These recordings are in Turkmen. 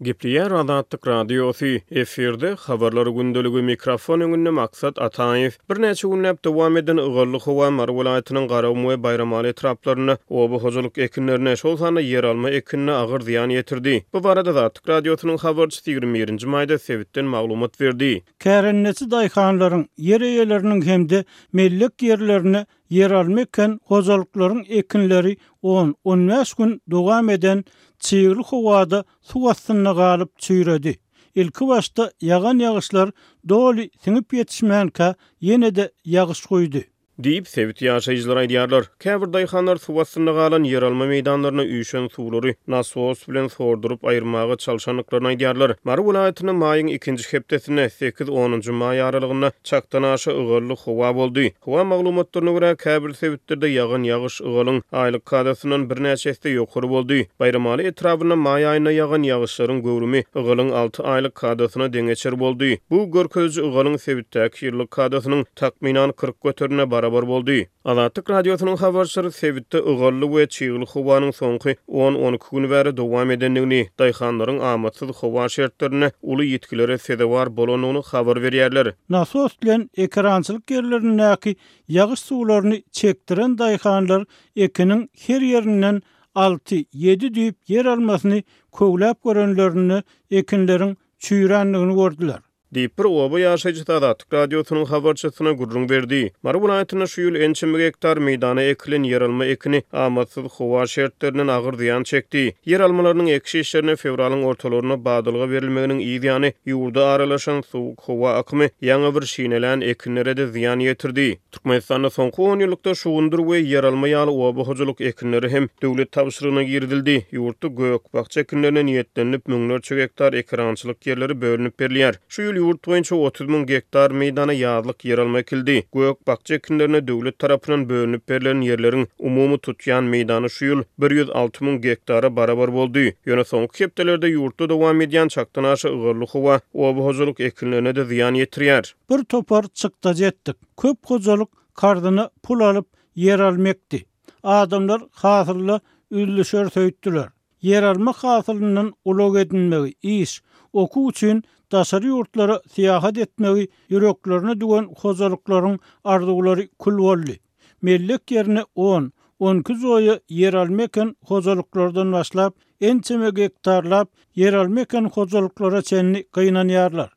Gepleýär Azatlyk Radiosy, efirde Habarlar gündeligi, mikrofon öňünde Maksat Ataýew. Birnäçe günläp dowam eden ygally howa Mary welaýatynyň Garagum we Baýramaly etraplarynda oba hojalyk ekinlerine, şol sanda ýeralma ekinine agyr zyýan ýetirdi. Bu barada Azatlyk Radiosynyň habarçysy 21-nji maýda sebitden maglumat berdi. Kärendeçi daýhanlaryň, ýer eýeleriniň hem-de mellek ýerlerine Ýeralma eken hojalyklaryň ekinleri on, on bäş gün dowam eden çygly howada suw astynda galyp çüýredi. Ilkibaşda ýagan ýagyşlar doly siňip ýetişmänkä ýene-de ýagyş guýdy. Diýip, sebit ýaşaýjylary aýdýarlar. Käbir daýhanlar suw astynda galan ýeralma meýdanlaryna üýşen suwlary nasos bilen sorduryp aýyrmaga çalşandyklaryny aýdýarlar. Mary welaýatynda maýyň ikinji hepdesinde, sekiz-onunjy maý aralygynda çakdan aşa ygally howa boldy. Howa maglumatlaryna görä, käbir sebitlerde ýagan ýagyş ygalyň aýlyk kadasyndan birnäçe esse ýokary boldy. Baýramaly etrabynda maý aýynda ýagan ýagyşlaryň göwrümi ygalyň alty aýlyk kadasyna deňeçer boldy. Bu görkeziji ygalyň sebitdäki ýyllyk kadasynyň takmynan 40 göterimine barabar boldy. Azatlyk Radiosynyň habarçylary sebitde ygally we çygly howanyň soňky on-on iki gün bäri dowam edendigini, daýhanlaryň amatsyz howa şertlerinde uly ýitgilere sezewar bolandygyny habar berýärler. Nasos bilen ekerançylyk ýerlerindäki ýagyş suwlaryny çekdiren daýhanlar ekiniň her ýerinden alty, ýedi düýp ýer almasyny köwläp görenlerinde ekinleriň çüýrändigini gördüler. Diýip, bir oba ýaşaýjysy Azatlyk Radiosynyň habarçysyna gürrüň berdi. Mary welaýatynda şu ýyl ençeme gektar meýdana ekilen ýeralma ekini amatsyz howa şertlerinden agyr zyýan çekdi. Ýeralmalarynyň ekiş işlerine fewralyň ortalarynda badalga berilmeginiň yz ýany ýurda aralaşan sowuk howa akymy ýaňy bir şinelän ekinlere-de zyýan ýetirdi. Türkmenistanda soňky onýyllykda şugundyr we ýeralma ýaly oba hojalyk ekinleri hem döwlet tabşyrygyna girizildi. Ýurtda gök-bakja ekinlerine niýetlenilip müňlerçe gektar ekerançylyk ýerleri bölünip berilýär. Şu ýyl ýurt boýunça 30 müň gektar meýdana ýazlyk ýeralma ekildi. Gök-bakja ekinlerine döwlet tarapyndan bölünip berlen ýerleriň umumy tutýan meýdany şu ýyl 106 müň gektara barabar boldy. Ýöne soňky hepdelerde ýurtda dowam edýän çakdan aşa ygally howa oba hojalyk ekinlerine-de zyýan ýetirýär. Bir topar çykdajy etdik. Köp hojalyk karzyna pul alyp, ýeralma ekdi. Adamlar hasylda üzlüşeris öýtdüler. Ýeralma hasylyndan ulag edinmegi, iş, okuw üçin daşary ýurtlara syýahat etmegi ýüreklerine düwen hojalyklaryň arzuwlary kül boldy. Mellek ýerine on, on iki joýa ýeralma eken hojalyklardan başlap, ençeme gektarlap ýeralma eken hojalyklara çenli gynanýarlar.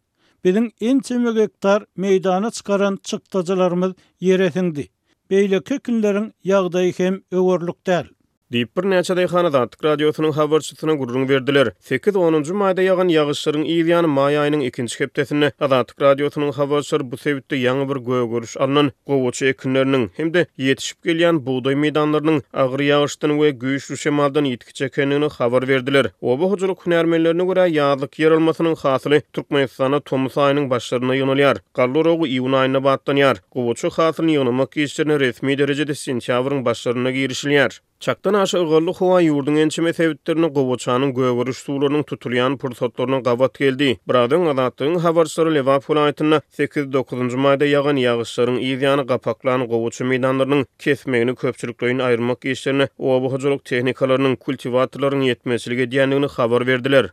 Biziň ençeme gektar meýdana çykaran çykdajylarymyz ýere siňdi. Beýleki ekinleriň ýagdaýy hem öwerlik däl. Diýip, birnäçe daýhan Azatlyk Radiosynyň habarçysyna gürrüň berdiler. Sekiz-onunjy maýda ýagan ýagyşlaryň yz ýany maý aýynyň ikinji hepdesinde Azatlyk Radiosynyň habarçylary bu sebitde ýaňy bir gögeriş alnan gowaça ekinleriniň hem-de ýetişip gelýän bugdaý meýdanlarynyň agyr ýagyşdan we güýçli şemaldan ýitgi çekendigini habar berdiler. Oba hojalyk hünärmenlerine görä, ýazlyk ýeralmasynyň hasyly Türkmenistanda tomus aýynyň başlarynda ýygnalýar. Galla oragy iýun aýynda batlanýar. Gowaça hasylyny ýygnamak işlerine resmi derejede sentýabryň başlarynda girişilýär. Çakdan aşa ygally howa ýurduň ençeme sebitlerinde gowaçanyň gögeriş suwlarynyň tutulýan pursatlaryna gabat geldi. Biraz öň Azatlygyň habarçylary Lebap welaýatynda sekiz-dokuzynjy maýda ýagan ýagyşlaryň yz ýany gapaklan gowaça meýdanlarynyň kesmegini köpçülikleýin aýyrmak işlerine oba hojalyk tehnikalarynyň, kultiwatorlaryň ýetmezçilik edýändigini habar berdiler.